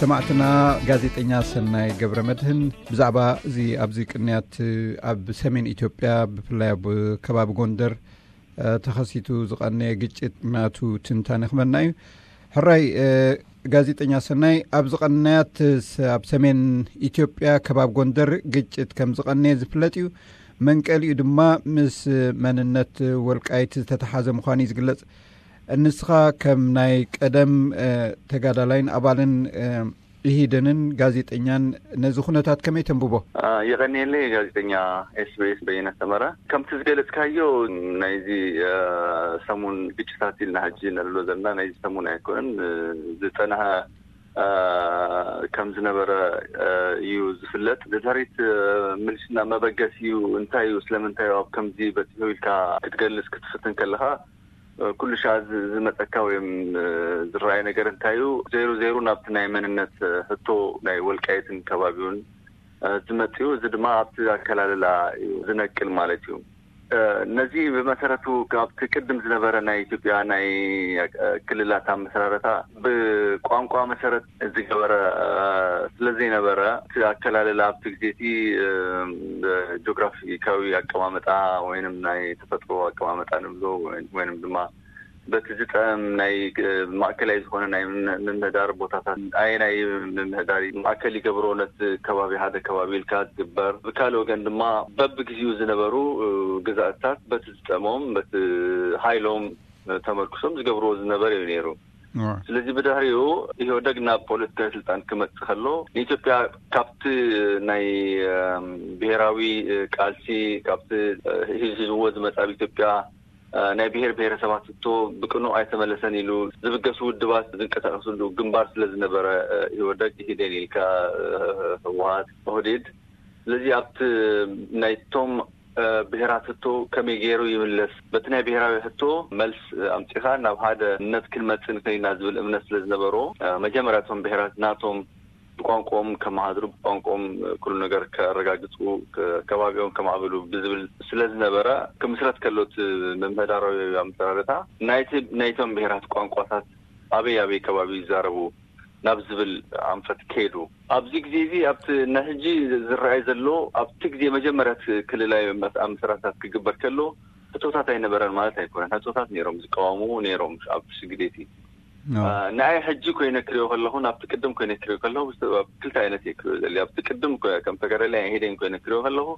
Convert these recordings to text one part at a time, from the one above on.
ሰማዕትና፣ ጋዜጠኛ ሰናይ ገብረ መድህን ብዛዕባ እዚ ኣብዚ ቅንያት ኣብ ሰሜን ኢትዮጵያ፣ ብፍላይ ኣብ ከባቢ ጎንደር ተኸሲቱ ዝቐነየ ግጭት ናቱ ትንታነ ክመና እዩ። ሕራይ ጋዜጠኛ ሰናይ፣ ኣብ ዝቐነያት ኣብ ሰሜን ኢትዮጵያ ከባቢ ጎንደር ግጭት ከም ዝቐነየ ዝፍለጥ እዩ። መንቀሊኡ ድማ ምስ መንነት ወልቃይት ዝተተሓዘ ምዃኑ እዩ ዝግለጽ። ንስኻ ከም ናይ ቀደም ተጋዳላይን ኣባልን ኢሂደንን ጋዜጠኛን፣ ነዚ ኩነታት ከመይ ተንብቦ? የቐንየለይ ጋዜጠኛ ኤስቢኤስ በየነ ሰመረ። ከምቲ ዝገለጽካዮ፣ ናይዚ ሰሙን ግጭታት ኢልና ሕጂ ነልሎ ዘለና ናይዚ ሰሙን ኣይኮነን፣ ዝጸንሐ ከም ዝነበረ እዩ ዝፍለጥ። ድሕሪት ምልሽና መበገሲኡ እንታይ እዩ፣ ስለምንታይ እዩ ኣብ ከምዚ በጺሑ ኢልካ ክትገልጽ ክትፍትን ከለኻ፣ ኩሉ ሻ ዝመፀካ ወይም ዝረኣይ ነገር እንታይ እዩ? ዘይሩ ዘይሩ ናብቲ ናይ መንነት ሕቶ ናይ ወልቃይትን ከባቢውን ዝመፅኡ፣ እዚ ድማ ኣብቲ ኣከላልላ እዩ ዝነቅል ማለት እዩ። ነዚ ብመሰረቱ ካብቲ ቅድም ዝነበረ ናይ ኢትዮጵያ ናይ ክልላት ኣመሰራረታ ብቋንቋ መሰረት ዝገበረ ስለዘይነበረ፣ እቲ ኣከላልላ ኣብቲ ግዜ እቲ ጂኦግራፊካዊ ኣቀማመጣ ወይንም ናይ ተፈጥሮ ኣቀማመጣ ንብሎ ወይንም ድማ በቲ ዝጠም ናይ ማእከላይ ዝኾነ ናይ ምምህዳር ቦታታት ኣየናይ ምምህዳር ማእከል ይገብሮ፣ ነቲ ከባቢ ሓደ ከባቢ ኢልካ ዝግበር፣ ብካልእ ወገን ድማ በብግዜኡ ዝነበሩ ግዛእታት በቲ ዝጠሞም በቲ ሃይሎም ተመርኩሶም ዝገብርዎ ዝነበር እዩ ነይሩ። ስለዚ ብድሕሪኡ ኢህወደግ ናብ ፖለቲካዊ ስልጣን ክመጽእ ከሎ፣ ንኢትዮጵያ ካብቲ ናይ ብሄራዊ ቃልሲ፣ ካብቲ ሂዝዎ ዝመጽ ኣብ ኢትዮጵያ ናይ ብሄር ብሄረሰባት ሕቶ ብቅኑዕ ኣይተመለሰን ኢሉ ዝብገሱ ውድባት ዝንቀሳቀስሉ ግንባር ስለ ዝነበረ፣ ኢህወደግ ኢህዴን ኢልካ፣ ህወሓት፣ ኦህዴድ። ስለዚ ኣብቲ ናይቶም ብሄራት ሕቶ ከመይ ገይሩ ይምለስ፣ በቲ ናይ ብሄራዊ ሕቶ መልስ ኣምፂኻ ናብ ሓደ እምነት ክንመፅእ ንኽእል ኢና ዝብል እምነት ስለ ዝነበሮ፣ መጀመርያ እቶም ብሄራት ናቶም ብቋንቋኦም ከመሃድሩ፣ ብቋንቋኦም ኩሉ ነገር ከረጋግፁ፣ ከባቢኦም ከማዕብሉ ብዝብል ስለ ዝነበረ፣ ክምስረት ከሎ እቲ ምምሕዳራዊ ኣመሰራርታ ናይቲ ናይቶም ብሄራት ቋንቋታት ኣበይ ኣበይ ከባቢ ይዛረቡ ናብ ዝብል ኣንፈት ከይዱ። ኣብዚ ግዜ እዚ ኣብቲ ናይ ሕጂ ዝረኣይ ዘሎ፣ ኣብቲ ግዜ መጀመርያ እቲ ክልላዊ ኣመሰራርታት ክግበር ከሎ ሕቶታት ኣይነበረን ማለት ኣይኮነን። ሕቶታት ነይሮም፣ ዝቃወሙ ነይሮም ኣብ ሽግዴቲ። ንኣይ ሕጂ ኮይነ ክሪኦ ከለኹ፣ ናብቲ ቅድም ኮይነ ክሪኦ ከለኹ፣ ኣብ ክልተ ዓይነት እየ ክሪኦ ዘለ። ኣብቲ ቅድም ከም ተጋዳላይ ኢህዴን ኮይነ ክሪኦ ከለኹ፣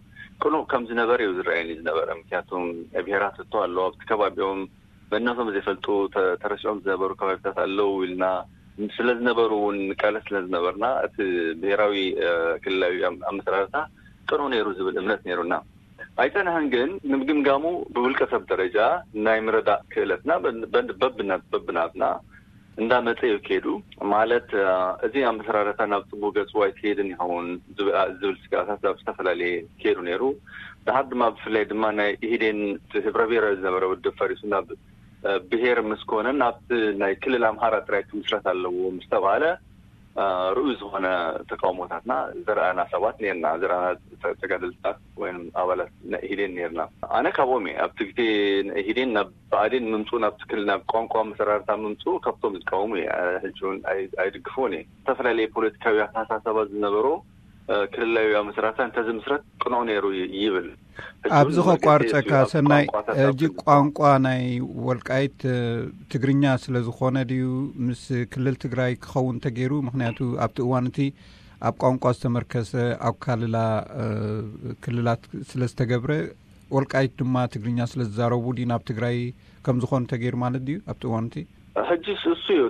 ቅኑዕ ከም ዝነበረ እዩ ዝረኣየኒ ዝነበረ። ምክንያቱም ናይ ብሄራት ሕቶ ኣሎ፣ ኣብቲ ከባቢኦም መንነቶም ዘይፈልጡ ተረሲዖም ዝነበሩ ከባቢታት ኣለዉ ኢልና ስለ ዝነበሩ እውን ንቃለስ ስለ ዝነበርና፣ እቲ ብሄራዊ ክልላዊ ኣመሰራርታ ቅኑዕ ነይሩ ዝብል እምነት ነይሩና። ኣይጸንሐን ግን፣ ንምግምጋሙ ብውልቀ ሰብ ደረጃ ናይ ምርዳእ ክእለትና በብናትና እንዳመጸ እዩ ከይዱ። ማለት፣ እዚ ኣመሰራርታ ናብ ጽቡቅ ገጹ ኣይክሄድን ይኸውን ዝብል ስጋታት ኣብ ዝተፈላለየ ከይዱ ነይሩ። ድሓር ድማ፣ ብፍላይ ድማ ናይ ኢህዴን ህብረ ብሄራዊ ዝነበረ ውድብ ፈሪሱ ናብ ብሄር ምስ ኮነ፣ ናብቲ ናይ ክልል ኣምሓራ ጥራይ ክምስረት ኣለዎ ምስ ተባለ፣ ርኡይ ዝኾነ ተቃውሞታትና ዘርኣና ሰባት ነርና፣ ዘርኣና ተጋደልታት ወይም ኣባላት ናይ ኢህዴን ነርና። ኣነ ካብኦም እየ። ኣብቲ ግዜ ኢህዴን ናብ ብኣዴን ምምፅኡ፣ ናብቲ ክልል፣ ናብ ቋንቋ መሰራርታ ምምፅኡ ካብቶም ዝቃወሙ እየ። ሕጂ እውን ኣይድግፍዎን እየ። ዝተፈላለየ ፖለቲካዊ ኣተሓሳሰባ ዝነበሮ ክልላዊ ኣመሰራርታ እንተዝምስረት ቅኑዕ ነይሩ ይብል። ኣብዚ ከቋርፀካ ሰናይ፣ ሕጂ ቋንቋ ናይ ወልቃይት ትግርኛ ስለ ዝኾነ ድዩ ምስ ክልል ትግራይ ክኸውን ተገይሩ? ምክንያቱ ኣብቲ እዋን እቲ ኣብ ቋንቋ ዝተመርከሰ ኣካልላ ክልላት ስለ ዝተገብረ፣ ወልቃይት ድማ ትግርኛ ስለ ዝዛረቡ ድዩ ናብ ትግራይ ከም ዝኾኑ ተገይሩ ማለት ድዩ ኣብቲ እዋን እቲ? ሕጂ እሱ እዩ።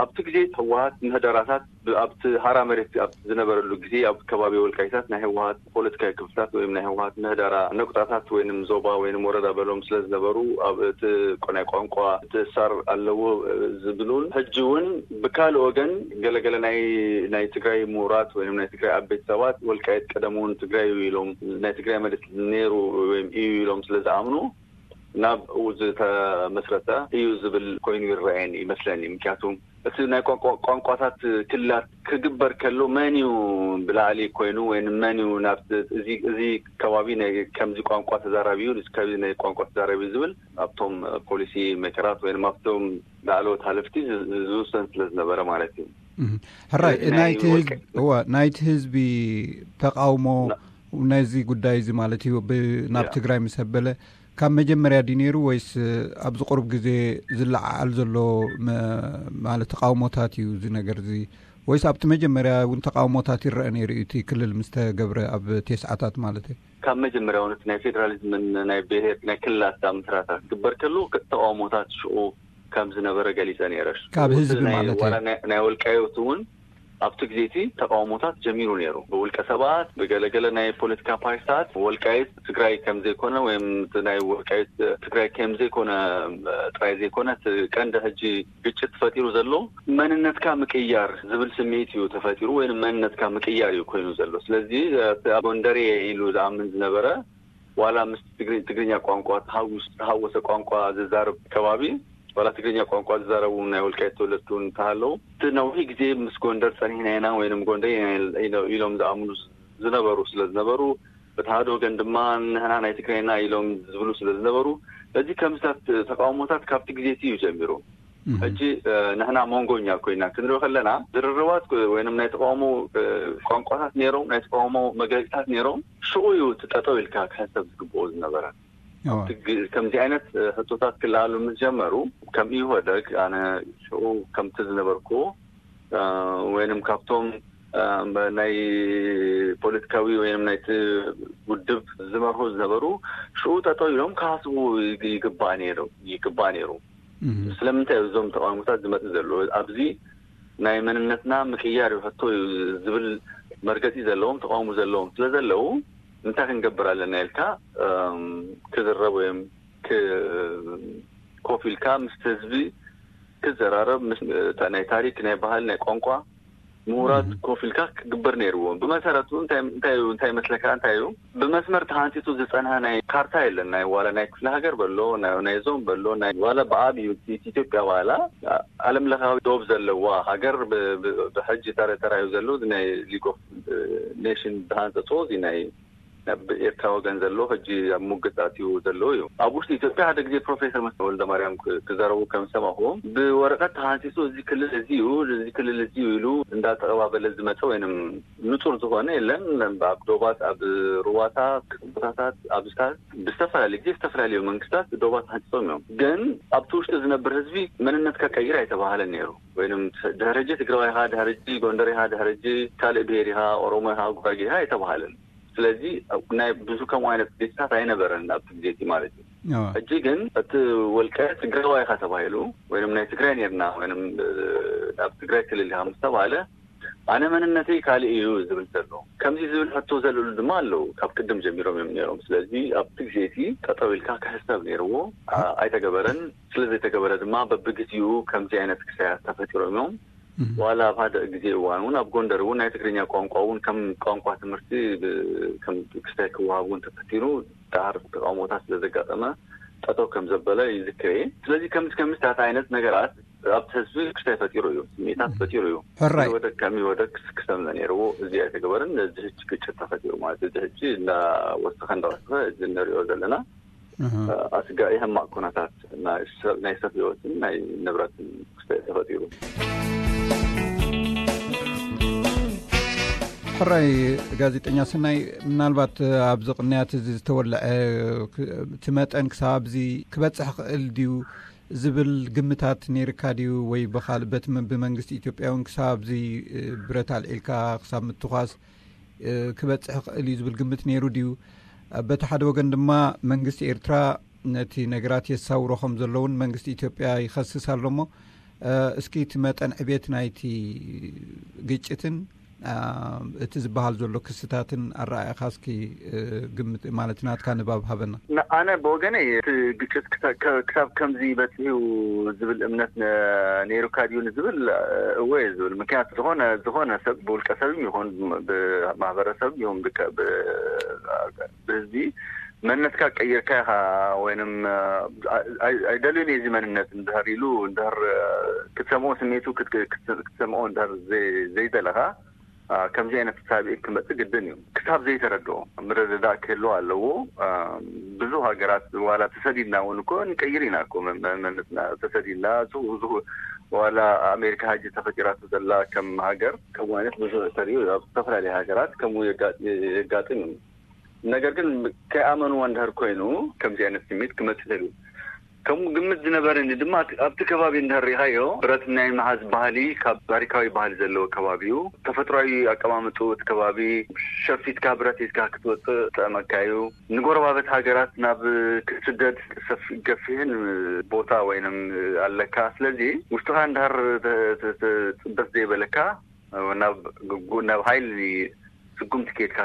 ኣብቲ ግዜ ህወሓት ምህደራታት ኣብቲ ሃራ መሬት ኣብ ዝነበረሉ ግዜ፣ ኣብ ከባቢ ወልቃይታት ናይ ህወሓት ፖለቲካዊ ክፍልታት ወይም ናይ ህወሓት ምህደራ ነቁጣታት ወይም ዞባ ወይም ወረዳ በሎም ስለ ዝነበሩ፣ ኣብ እቲ ናይ ቋንቋ ትእሳር ኣለዎ ዝብሉን፣ ሕጂ እውን ብካልእ ወገን ገለገለ ናይ ናይ ትግራይ ምሁራት ወይም ናይ ትግራይ ዓበይቲ ሰባት፣ ወልቃይት ቀደም እውን ትግራይ እዩ ኢሎም፣ ናይ ትግራይ መሬት ነይሩ ወይም እዩ ኢሎም ስለ ዝኣምኑ፣ ናብ ዝተመስረተ እዩ ዝብል ኮይኑ ይረኣየኒ ይመስለኒ። ምክንያቱ እቲ ናይ ቋንቋታት ክልላት ክግበር ከሎ መን እዩ ብላዕሊ ኮይኑ ወይ መን እዩ ናብቲ እዚ ከባቢ ናይ ከምዚ ቋንቋ ተዛራቢ እዩ፣ እዚ ከባቢ ናይ ቋንቋ ተዛራቢ እዩ ዝብል ኣብቶም ፖሊሲ ሜከራት ወይ ኣብቶም ላዕለዎት ሓለፍቲ ዝውሰን ስለ ዝነበረ ማለት እዩ። ሕራይ ናይቲ ህዝቢ ተቃውሞ ነዚ ጉዳይ እዚ ማለት እዩ ናብ ትግራይ ምስ ኣበለ ካብ መጀመርያ ድዩ ነይሩ ወይስ ኣብዚ ቁሩብ ግዜ ዝለዓዓል ዘሎ ማለት ተቃውሞታት እዩ እዚ ነገር እዚ? ወይስ ኣብቲ መጀመርያ እውን ተቃውሞታት ይረአ ነይሩ እዩ እቲ ክልል ምስ ተገብረ ኣብ ቴስዓታት ማለት እዩ? ካብ መጀመርያ እውን እቲ ናይ ፌደራሊዝምን ናይ ብሄር ናይ ክልላት ምስረታ ክግበር ከሎ ተቃውሞታት ሽኡ ከም ዝነበረ ገሊፀ ነይረ። ካብ ህዝቢ ማለት እዩ። ናይ ወልቃዮት እውን ኣብቲ ግዜ እቲ ተቃውሞታት ጀሚሩ ነይሩ። ብውልቀ ሰባት፣ ብገለገለ ናይ ፖለቲካ ፓርቲታት ወልቃይት ትግራይ ከም ዘይኮነ ወይም ናይ ወልቃይት ትግራይ ከም ዘይኮነ ጥራይ ዘይኮነ እቲ ቀንዲ ሕጂ ግጭት ተፈጢሩ ዘሎ መንነትካ ምቅያር ዝብል ስምዒት እዩ ተፈጢሩ ወይም መንነትካ ምቅያር እዩ ኮይኑ ዘሎ። ስለዚ ጎንደሬ ኢሉ ዝኣምን ዝነበረ ዋላ ምስ ትግርኛ ቋንቋ ተሃወሰ ቋንቋ ዝዛረብ ከባቢ ዋላ ትግርኛ ቋንቋ ዝዛረቡ ናይ ወልቃይት ተወለድቲ እውን እንተሃለዉ እቲ ነዊሕ ግዜ ምስ ጎንደር ፀኒሕና ኢና ወይም ጎንደር ኢሎም ዝኣምኑ ዝነበሩ ስለ ዝነበሩ በቲ ሓደ ወገን ድማ ንሕና ናይ ትግራይና ኢሎም ዝብሉ ስለ ዝነበሩ በዚ ከምዚታት ተቃውሞታት ካብቲ ግዜ እቲ እዩ ጀሚሩ። ሕጂ ንሕና መንጎኛ ኮይና ክንሪኦ ከለና ዝርርባት ወይም ናይ ተቃውሞ ቋንቋታት ነይሮም ናይ ተቃውሞ መግለፂታት ነይሮም ሽኡ እዩ እቲ ጠጠው ኢልካ ክሕሰብ ዝግብኦ ዝነበረ። ከምዚ ዓይነት ሕቶታት ክለዓሉ ምስ ጀመሩ ከም ኢህወደግ ኣነ ሽኡ ከምቲ ዝነበርኩ ወይም ካብቶም ናይ ፖለቲካዊ ወይም ናይቲ ውድብ ዝመርሑ ዝነበሩ ሽኡ ጠጠው ኢሎም ክሃስቡ ይግባእ ነይሩ። ስለምንታይ እዞም ተቃውሞታት ዝመፅእ ዘሎ ኣብዚ ናይ መንነትና ምቅያር እዩ ሕቶ እዩ ዝብል መርገፂ ዘለዎም ተቃውሞ ዘለዎም ስለ ዘለዉ እንታይ ክንገብር ኣለና ኢልካ ክዝረብ ወይም ኮፍ ኢልካ ምስ ህዝቢ ክዘራረብ ናይ ታሪክ ናይ ባህል ናይ ቋንቋ ምሁራት ኮፍ ኢልካ ክግበር ነይርዎ። ብመሰረቱ እንታይ መስለካ እንታይ እዩ ብመስመር ተሃንፂፁ ዝፀንሐ ናይ ካርታ የለን ናይ ዋላ ናይ ክፍለ ሃገር በሎ ናይ ዞን በሎ ናይ ዋላ ብዓብዩ ኢትዮጵያ ዋላ ዓለም ለኻዊ ዶብ ዘለዋ ሃገር ብሕጂ ተራዩ ዘሎ ናይ ሊግ ኦፍ ኔሽን ዝሃንፀፆ እዚ ናይ ናብ ኤርትራ ወገን ዘሎ ሕጂ ኣብ ሙግት ኣትዩ ዘሎ እዩ። ኣብ ውሽጢ ኢትዮጵያ ሓደ ግዜ ፕሮፌሰር መስፍን ወልደማርያም ክዛረቡ ከም ዝሰማኹዎም ብወረቀት ተሃንፂፁ እዚ ክልል እዚ እዩ እዚ ክልል እዚ እዩ ኢሉ እንዳተቀባበለ ዝመፀ ወይንም ንፁር ዝኾነ የለን። ኣብ ዶባት ኣብ ሩባታት ቦታታት ኣብዝታት ብዝተፈላለዩ ግዜ ዝተፈላለዩ መንግስታት ዶባት ተሃንፂፆም እዮም። ግን ኣብቲ ውሽጢ ዝነብር ህዝቢ መንነትካ ቀይር ኣይተባሃለን ነይሩ። ወይም ድሕርጂ ትግራዋይ ኢኻ ድሕርጂ ጎንደር ኢኻ ድሕርጂ ካልእ ብሄር ኢኻ ኦሮሞ ኢኻ ጉራጌ ኢኻ ኣይተባሃለን። ስለዚ ናይ ብዙ ከምኡ ዓይነት ግዴታታት ኣይነበረን ኣብቲ ግዜ እቲ ማለት እዩ። ሕጂ ግን እቲ ወልቀ ትግራዋይ ኢኻ ተባሂሉ ወይም ናይ ትግራይ ነርና ወይም ናብ ትግራይ ክልል ኢኻ ምስ ተባለ ኣነ መንነተይ ካልእ እዩ ዝብል ዘሎ ከምዚ ዝብል ሕቶ ዘለሉ ድማ ኣለዉ ካብ ቅድም ጀሚሮም እዮም ነሮም። ስለዚ ኣብቲ ግዜ እቲ ጠጠው ኢልካ ክሕሰብ ነይርዎ። ኣይተገበረን። ስለዘይተገበረ ድማ በብግዜኡ ከምዚ ዓይነት ክሳያት ተፈጢሮም እዮም። ዋላ ኣብ ሓደ ግዜ እዋን እውን ኣብ ጎንደር እውን ናይ ትግርኛ ቋንቋ እውን ከም ቋንቋ ትምህርቲ ክስታይ ክወሃብ እውን ተፈቲኑ ዳር ተቃውሞታት ስለዘጋጠመ ጠጠው ከም ዘበለ ይዝክር እየ። ስለዚ ከምዚ ከምዚታት ዓይነት ነገራት ኣብቲ ህዝቢ ክስታይ ፈጢሩ እዩ፣ ስምዒታት ፈጢሩ እዩ። ሕራይ ወደ ከሚ ወደ ክሰምነ ነይርዎ እዚ ኣይተገበረን። እዚ ህጂ ግጭት ተፈጢሩ ማለት እዚ ህጂ እንዳወሰኸ እንዳወሰኸ እዚ እንሪኦ ዘለና ኣስጋኢ ሕማቕ ኩነታት ናይ ሰብ ህይወትን ናይ ንብረትን ክስታይ ተፈጢሩ። ሕራይ ጋዜጠኛ ሰናይ፣ ምናልባት ኣብዚ ቅንያት እዚ ዝተወልዐ እቲ መጠን ክሳብ ኣብዚ ክበፅሕ ክእል ድዩ ዝብል ግምታት ነይርካ ድዩ? ወይ ብኻልእ በቲ ብመንግስቲ ኢትዮጵያ እውን ክሳብ ኣብዚ ብረት ኣልዒልካ ክሳብ ምትኳስ ክበፅሕ ክእል እዩ ዝብል ግምት ነይሩ ድዩ? በቲ ሓደ ወገን ድማ መንግስቲ ኤርትራ ነቲ ነገራት የሳውሮ ከም ዘለውን መንግስቲ ኢትዮጵያ ይኸስስ ኣሎ እሞ እስኪ እቲ መጠን ዕቤት ናይቲ ግጭትን እቲ ዝበሃል ዘሎ ክስታትን ኣረኣእኻ እስኪ ግምት ማለት ናትካ ንባብ ሃበና። ኣነ ብወገነይ እቲ ግጭት ክሳብ ከምዚ በፂሑ ዝብል እምነት ነይሩካ ድዩ ንዝብል እወ ዝብል ምክንያቱ ዝኾነ ዝኾነ ሰብ ብውልቀ ሰብ ይኹን ብማህበረሰብ ይኹን ብህዝቢ መንነትካ ቀይርካ ኢኻ ወይንም ኣይደልዩን እዚ መንነት እንድሕር ኢሉ እንድሕር ክትሰምኦ ስሜቱ ክትሰምኦ እንድሕር ዘይደለኻ ከምዚ ዓይነት ሳብኤ ክመፅእ ግድን እዩ። ክሳብ ዘይተረድኦ ምርድዳእ ክህልዎ ኣለዎ። ብዙ ሃገራት ዋላ ተሰዲድና እውን እኮ ንቀይር ኢና እኮ መንነትና። ተሰዲድና ዋላ ኣሜሪካ ሀጂ ተፈጢራቱ ዘላ ከም ሃገር ከምኡ ዓይነት ብዙ ተሪኡ ኣብ ዝተፈላለዩ ሃገራት ከምኡ የጋጥም እዩ። ነገር ግን ከይኣመንዎ እንድህር ኮይኑ ከምዚ ዓይነት ስሜት ክመፅእ ይኽእል እዩ። ከምኡ ግምት ዝነበረኒ ድማ ኣብቲ ከባቢ እንድህር ሪኢኻዮ ብረት ናይ መሓዝ ባህሊ ካብ ታሪካዊ ባህሊ ዘለዎ ከባቢ እዩ። ተፈጥሯዊ ኣቀማምጡ እቲ ከባቢ ሸፊትካ ብረት ሒዝካ ክትወፅእ ጠመካ እዩ። ንጎረባበት ሃገራት ናብ ክትስደድ ገፊህን ቦታ ወይንም ኣለካ። ስለዚ ውሽጥኻ እንድህር ፅበት ዘይበለካ ናብ ሓይሊ ስጉምቲ ኬድካ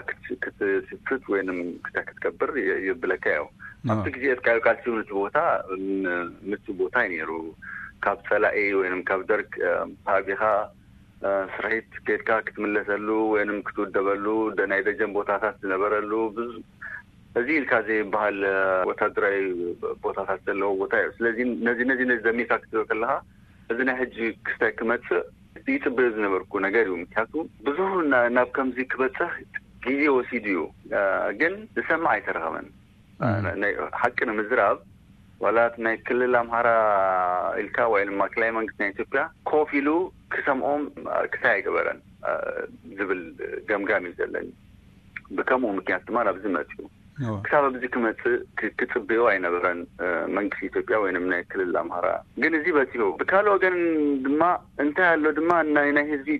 ክትስፍት ወይም ክታ ክትገብር የብለካ እዩ። ኣብቲ ግዜ እትካዮ ቃልሲ እውን እቲ ቦታ ምቹ ቦታ እዩ ነይሩ። ካብ ፀላኢ ወይም ካብ ደርግ ተሃቢኻ ስርሒት ኬድካ ክትምለሰሉ ወይም ክትውደበሉ ናይ ደጀን ቦታታት ዝነበረሉ ብዙ እዚ ኢልካ ዘይበሃል ወታደራዊ ቦታታት ዘለዎ ቦታ እዩ። ስለዚ ነዚ ነዚ ነዚ ዘሚርካ ክትሪኦ ከለካ እዚ ናይ ሕጂ ክስታይ ክመፅእ ይፅበዮ ዝነበርኩ ነገር እዩ። ምክንያቱ ብዙ ናብ ከምዚ ክበፅሕ ግዜ ወሲዱ እዩ፣ ግን ዝሰምዕ ኣይተረኸበን። ሓቂ ንምዝራብ ዋላ ናይ ክልል ኣምሃራ ኢልካ ወይ ማእከላይ መንግስቲ ናይ ኢትዮጵያ ኮፍ ኢሉ ክሰምዖም ክስታይ ኣይገበረን ዝብል ገምጋም እዩ ዘለኒ። ብከምኡ ምክንያት ድማ ናብዚ መፅኡ ክሳብ ኣብዚ ክመፅእ ክፅበዮ ኣይነበረን መንግስቲ ኢትዮጵያ ወይም ናይ ክልል ኣምሃራ። ግን እዚ በፂሑ ብካልእ ወገን ድማ እንታይ ኣሎ ድማ ናይ ናይ ህዝቢ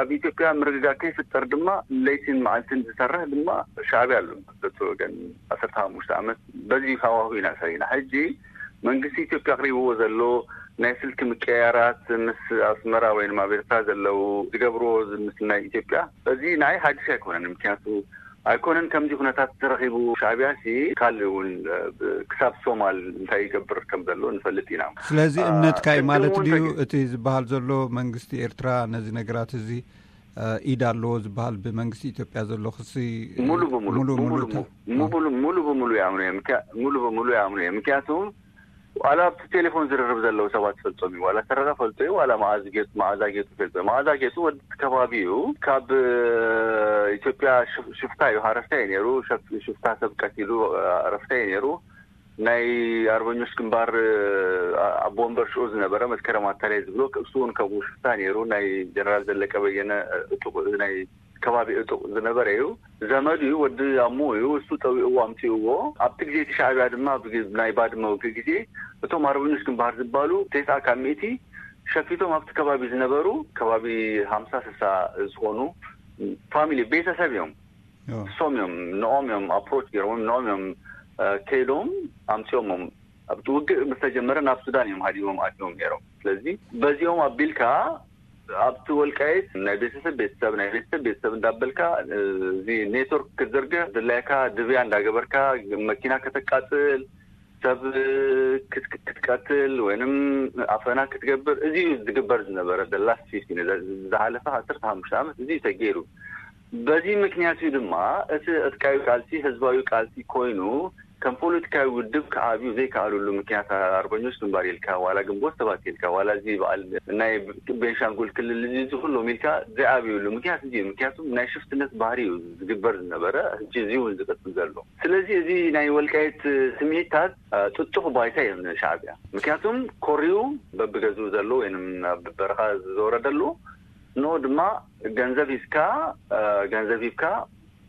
ኣብ ኢትዮጵያ ምርግጋእ ከይፍጠር ድማ ለይትን መዓልትን ዝሰርሕ ድማ ሻዕብያ ኣሎ። በቲ ወገን ዓሰርተ ሓሙሽተ ዓመት በዚ ሃዋሁ ኢና ሰሪና። ሕጂ መንግስቲ ኢትዮጵያ ኣቕሪብዎ ዘሎ ናይ ስልኪ ምቅያራት ምስ ኣስመራ ወይም ኣብ ኤርትራ ዘለዉ ዝገብርዎ ምስ ናይ ኢትዮጵያ እዚ ንዓይ ሓድሽ ኣይኮነን። ምክንያቱ ኣይኮነን ከምዚ ኩነታት ተረኺቡ ሻዕብያ ሲ ካልእ እውን ክሳብ ሶማል እንታይ ይገብር ከም ዘሎ ንፈልጥ ኢና። ስለዚ እምነትካ እዩ ማለት ድዩ እቲ ዝበሃል ዘሎ መንግስቲ ኤርትራ ነዚ ነገራት እዚ ኢድ ኣለዎ ዝበሃል ብመንግስቲ ኢትዮጵያ ዘሎ ክሲ ሙሉ ብሙሉ ሙሉ ሙሉ ብሙሉ ይኣምኑ እዮም። ሙሉ ብሙሉ ይኣምኑ እዮም። ምክንያቱ ዋላ ኣብቲ ቴሌፎን ዝርርብ ዘለዉ ሰባት ፈልጦም እዩ። ዋላ ሰረቀ ፈልጦ እዩ። ዋላ መዓዝ ጌጡ መዓዛ ጌጡ ፈልጦ እዩ። መዓዛ ጌጡ ወዲ ከባቢ እዩ። ካብ ኢትዮጵያ ሽፍታ እዩ። ሃረፍታ እዩ ነይሩ። ሽፍታ ሰብ ቀቲሉ ሃረፍታ እዩ ነይሩ። ናይ ኣርበኞች ግንባር ኣቦ ወንበር ሽዑ ዝነበረ መስከረም ኣታላይ ዝብሎ እሱ እውን ከምኡ ሽፍታ ነይሩ። ናይ ጀነራል ዘለቀ በየነ ናይ ከባቢ እጡቕ ዝነበረ እዩ። ዘመዱ እዩ፣ ወዲ ኣሞ እዩ። እሱ ጠዊእዎ ኣምፅእዎ። ኣብቲ ግዜ እቲ ሻዕብያ ድማ ናይ ባድመ ውግእ ግዜ እቶም ኣርበኞች ግንባር ዝበሃሉ ተስዓ ካብ ሚእቲ ሸፊቶም ኣብቲ ከባቢ ዝነበሩ ከባቢ ሃምሳ ስሳ ዝኾኑ ፋሚሊ ቤተሰብ እዮም። እሶም እዮም ንኦም እዮም ኣፕሮች ገይሮም ንኦም እዮም ከይዶም ኣምፅኦሞም ኣብቲ ውግእ ምስ ተጀመረ ናብ ሱዳን እዮም ሃዲሞም ኣትዮም ነይሮም። ስለዚ በዚኦም ኣቢልካ ኣብቲ ወልቃይት ናይ ቤተሰብ ቤተሰብ ናይ ቤተሰብ ቤተሰብ እንዳበልካ እዚ ኔትወርክ ክትዝርግሕ ድላይካ ድብያ እንዳገበርካ መኪና ከተቃፅል ሰብ ክትቀትል ወይንም ኣፈና ክትገብር እዚ ዝግበር ዝነበረ ደላስ ዝሓለፈ ዓሰርተ ሓሙሽተ ዓመት እዚ ተገይሩ። በዚ ምክንያት እዩ ድማ እቲ ዕጥቃዊ ቃልሲ ህዝባዊ ቃልሲ ኮይኑ ከም ፖለቲካዊ ውድብ ክዓብዩ ዘይከኣሉሉ ምክንያት ኣርበኞች ግንባር ኢልካ ዋላ ግንቦት ሰባት ኢልካ ዋላ እዚ በዓል ናይ ቤንሻንጉል ክልል እዚ እዚ ኩሎም ኢልካ ዘይዓብዩሉ ምክንያት እዚ ምክንያቱም ናይ ሽፍትነት ባህሪ እዩ ዝግበር ዝነበረ። ሕጂ እዚ እውን ዝቀፅል ዘሎ። ስለዚ እዚ ናይ ወልቃይት ስምዒታት ጥጡኽ ባይታ እዮም ንሻዕብያ። ምክንያቱም ኮሪዩ በብገዝኡ ዘሎ ወይም ኣብ በረኻ ዝዘወረ ደሎ ንኡ ድማ ገንዘብ ሂዝካ ገንዘብ ሂብካ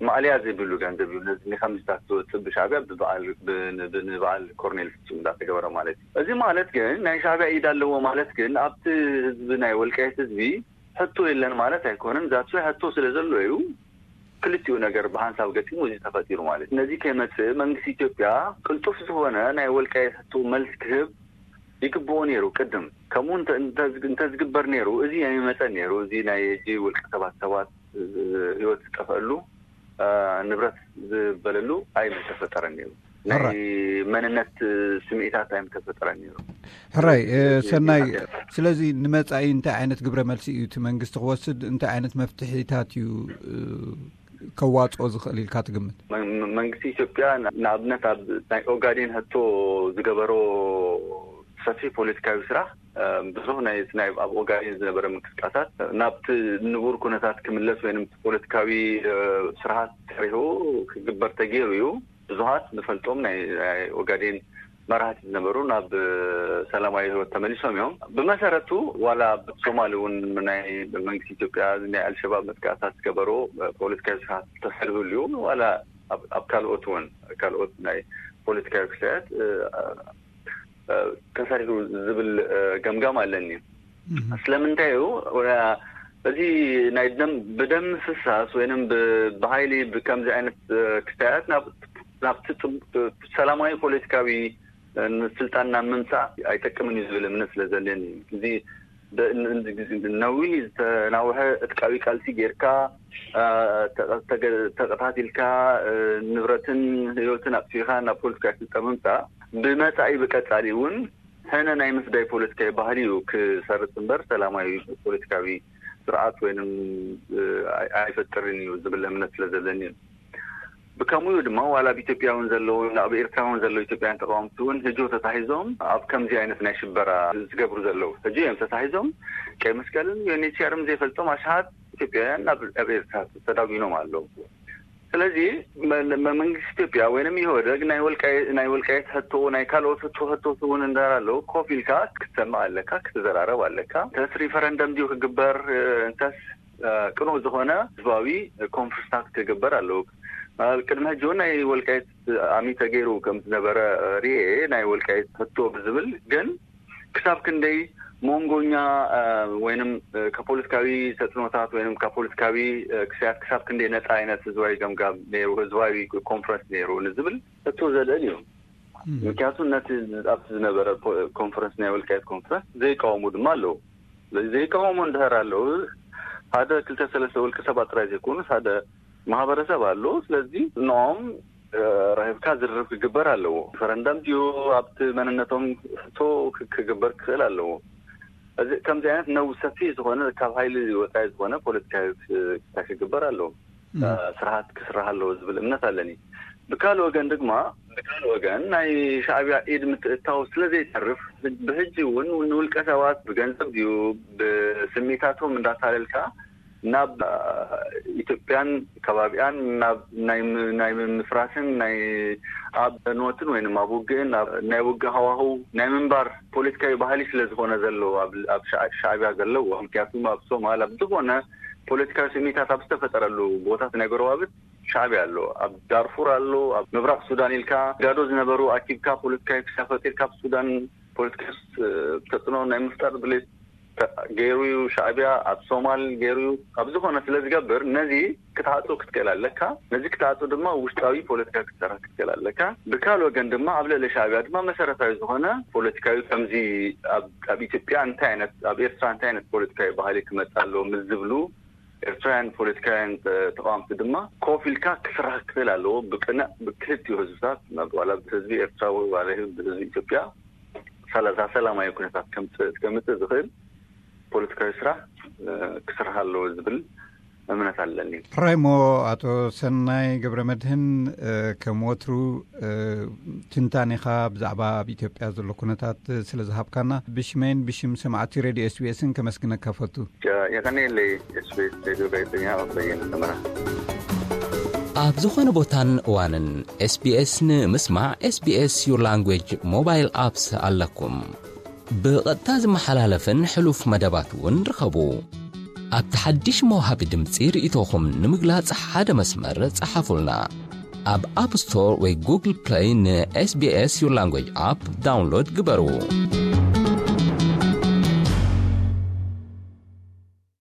ማእለያ ዘይብሉ ገንዘብ እዩ ነዚ ከምዚታት ዝወፅእ ብሻዕብያ ብበዓል ኮርኔል ፍፁም እንዳተገበረ ማለት እዩ። እዚ ማለት ግን ናይ ሻዕብያ ኢድ ኣለዎ ማለት ግን ኣብቲ ህዝቢ ናይ ወልቃይት ህዝቢ ሕቶ የለን ማለት ኣይኮነን። ዛት ሕቶ ስለ ዘሎ እዩ ክልቲኡ ነገር ብሓንሳብ ገጢሙ እዚ ተፈጢሩ ማለት እዩ። ነዚ ከይመፅእ መንግስቲ ኢትዮጵያ ቅልጡፍ ዝኾነ ናይ ወልቃይት ሕቶ መልስ ክህብ ይግብኦ ነይሩ። ቅድም ከምኡ እንተዝግበር ነይሩ እዚ ኣይመፀን ነይሩ። እዚ ናይ እጂ ውልቀ ሰባት ሰባት ህይወት ዝጠፈአሉ ንብረት ዝበለሉ ኣይምተፈጠረን ነይሩ። ናይ መንነት ስምዒታት ኣይምተፈጠረን ነይሩ። ሕራይ ሰናይ። ስለዚ ንመፃኢ እንታይ ዓይነት ግብረ መልሲ እዩ እቲ መንግስቲ ክወስድ እንታይ ዓይነት መፍትሒታት እዩ ከዋፅኦ ዝኽእል ኢልካ ትግምት? መንግስቲ ኢትዮጵያ ንኣብነት ኣብ ናይ ኦጋዴን ሕቶ ዝገበሮ ሰፊሕ ፖለቲካዊ ስራሕ፣ ብዙሕ ናይ ናይ ኣብ ኦጋዴን ዝነበረ ምንቅስቃሳት ናብቲ ንቡር ኩነታት ክምለስ ወይም ፖለቲካዊ ስርዓት ተሪሁ ክግበር ተገይሩ እዩ። ብዙሓት ንፈልጦም ናይ ኦጋዴን መራሕቲ ዝነበሩ ናብ ሰላማዊ ህይወት ተመሊሶም እዮም። ብመሰረቱ ዋላ ኣብ ሶማሊ እውን ናይ መንግስቲ ኢትዮጵያ ናይ ኣልሸባብ መጥቃዕታት ዝገበሩ ፖለቲካዊ ስርዓት ተሰሪሁሉ እዩ። ዋላ ኣብ ካልኦት እውን ካልኦት ናይ ፖለቲካዊ ክስተያት ተሰሪሑ ዝብል ገምጋም ኣለኒ። ስለምንታይ እዩ እዚ ናይ ደም ብደም ፍሳስ ወይም ብሃይሊ ብከምዚ ዓይነት ክስተያት ናብቲ ሰላማዊ ፖለቲካዊ ስልጣን ናብ ምምፃእ ኣይጠቅምን እዩ ዝብል እምነት ስለዘለኒ፣ እዚ ነዊህ ዝተናውሐ እትቃዊ ቃልሲ ጌርካ ተቀታቲልካ ንብረትን ህይወትን ኣጥፊእካ ናብ ፖለቲካዊ ስልጣን ምምፃእ ብመፃኢ ብቀፃሊ እውን ሕነ ናይ ምፍዳይ ፖለቲካዊ ባህሊ እዩ ክሰርፅ እምበር ሰላማዊ ፖለቲካዊ ስርዓት ወይም ኣይፈጥርን እዩ ዝብል እምነት ስለዘለኒ እዩ። ብከምኡ ድማ ዋላ ኣብ ኢትዮጵያ እውን ዘለዉ ኣብ ኤርትራ እውን ዘለዉ ኢትዮጵያውያን ተቃወምቲ እውን ህጆ ተታሒዞም ኣብ ከምዚ ዓይነት ናይ ሽበራ ዝገብሩ ዘለዉ ህጆ እዮም ተታሒዞም። ቀይ መስቀልን ዩኤንኤችሲኣርን ዘይፈልጦም ኣሽሓት ኢትዮጵያውያን ኣብ ኤርትራ ተዳጒኖም ኣለዉ። ስለዚ መንግስቲ ኢትዮጵያ ወይም ኢህወደግ ናይ ወልቃይት ሕቶ ናይ ካልኦት ሕቶ ሕቶ እውን እንዳር ኣለዉ ኮፍ ኢልካ ክትሰምዕ ኣለካ፣ ክትዘራረብ ኣለካ። እንተስ ሪፈረንደም ድዩ ክግበር፣ እንተስ ቅኑዕ ዝኾነ ህዝባዊ ኮንፈረንስታት ክግበር ኣለዉ። ቅድሚ ሕጂ እውን ናይ ወልቃይት ኣሚ ተገይሩ ከም ዝነበረ ርኤ፣ ናይ ወልቃይት ሕቶ ብዝብል ግን ክሳብ ክንደይ መንጎኛ ወይም ከፖለቲካዊ ተፅዕኖታት ወይም ከፖለቲካዊ ክስተያት ክሳብ ክንደይ ነፃ ዓይነት ህዝባዊ ገምጋም ነይሩ፣ ህዝባዊ ኮንፈረንስ ነይሩ ንዝብል ሕቶ ዘልዕል እዩ። ምክንያቱ ነቲ ኣብቲ ዝነበረ ኮንፈረንስ ናይ ወልቃይት ኮንፈረንስ ዘይቃወሙ ድማ ኣለዉ። ስለዚ ዘይቃወሙ እንድሕር ኣለዉ ሓደ ክልተ ሰለስተ ውልቀ ሰባት ጥራይ ዘይኮኑስ ሓደ ማህበረሰብ ኣሎ። ስለዚ ንኦም ረኺብካ ዝርርብ ክግበር ኣለዎ። ሪፈረንደም ድዩ ኣብቲ መንነቶም ሕቶ ክግበር ክኽእል ኣለዎ። እዚ ከምዚ ዓይነት ነው ሰፊሕ ዝኾነ ካብ ሃይሊ ወፃኢ ዝኾነ ፖለቲካዊ ክስታይ ክግበር ኣለዎ። ስርዓት ክስራሕ ኣለዎ ዝብል እምነት ኣለኒ። ብካልእ ወገን ድማ ብካልእ ወገን ናይ ሻዕቢያ ኢድ ምትእታው ስለዘይተርፍ ብሕጂ እውን ንውልቀ ሰባት ብገንዘብ ድዩ ብስሚታቶም እንዳታለልካ ናብ ኢትዮጵያን ከባቢኣን ናብ ናይ ምምፍራስን ናይ ኣብ ዕንወትን ወይም ኣብ ውግእን ናይ ውግእ ሃዋህው ናይ ምንባር ፖለቲካዊ ባህሊ ስለዝኾነ ዘለዎ ኣብ ሻዕቢያ ዘለዎ ምክንያቱም ኣብ ሶማል ኣብ ዝኾነ ፖለቲካዊ ስሚታት ኣብ ዝተፈጠረሉ ቦታት ናይ ጎረባብት ሻዕቢያ ኣሎ፣ ኣብ ዳርፉር ኣሎ፣ ኣብ ምብራቅ ሱዳን ኢልካ ጋዶ ዝነበሩ ኣኪብካ ፖለቲካዊ ክሳፈጥ ኢልካ ኣብ ሱዳን ፖለቲካዊ ተፅዕኖ ናይ ምፍጣር ድሌት ገይሩ እዩ ሻዕቢያ ኣብ ሶማል ገይሩ እዩ። ኣብ ዝኾነ ስለ ዝገብር ነዚ ክትዓፁ ክትክእል ኣለካ። ነዚ ክትዓፁ ድማ ውሽጣዊ ፖለቲካ ክትሰራ ክትክእል ኣለካ። ብካል ወገን ድማ ኣብ ልዕሊ ሻዕቢያ ድማ መሰረታዊ ዝኾነ ፖለቲካዊ ከምዚ ኣብ ኢትዮጵያ እንታይ ዓይነት ኣብ ኤርትራ እንታይ ዓይነት ፖለቲካዊ ባህሊ ክመፅ ኣለዎ ምስ ዝብሉ ኤርትራውያን ፖለቲካውያን ተቃወምቲ ድማ ኮፍ ኢልካ ክስራሕ ክኽእል ኣለዎ። ብቅንዕ ብክልቲኡ ህዝብታት ዋላ ብህዝቢ ኤርትራ ዋላ ብህዝቢ ኢትዮጵያ ሰላሳ ሰላማዊ ኩነታት ከምፅእ ዝኽእል ፖለቲካዊ ስራሕ ክስራሕ ኣለዎ ዝብል እምነት ኣለኒ። ሕራይሞ ኣቶ ሰናይ ገብረ መድህን ከም ወትሩ ትንታኔኻ ብዛዕባ ኣብ ኢትዮጵያ ዘሎ ኩነታት ስለ ዝሃብካና ብሽመይን ብሽም ሰማዕቲ ሬድዮ ኤስቢኤስን ከመስግነካ ፈቱ። የቀኔለይ ኤስቢኤስ ሬድዮ ጋዜጠኛ በየነ ሰመራ። ኣብ ዝኾነ ቦታን እዋንን ኤስቢኤስ ንምስማዕ ኤስቢኤስ ዩር ላንጉጅ ሞባይል ኣፕስ ኣለኩም። ብቐጥታ ዝመሓላለፍን ሕሉፍ መደባት እውን ርኸቡ። ኣብቲ ሓድሽ መውሃቢ ድምፂ ርእይቶኹም ንምግላጽ ሓደ መስመር ጸሓፉልና። ኣብ ኣፕ ስቶር ወይ ጉግል ፕለይ ንኤስቢኤስ ዩር ላንጉጅ ኣፕ ዳውንሎድ ግበሩ።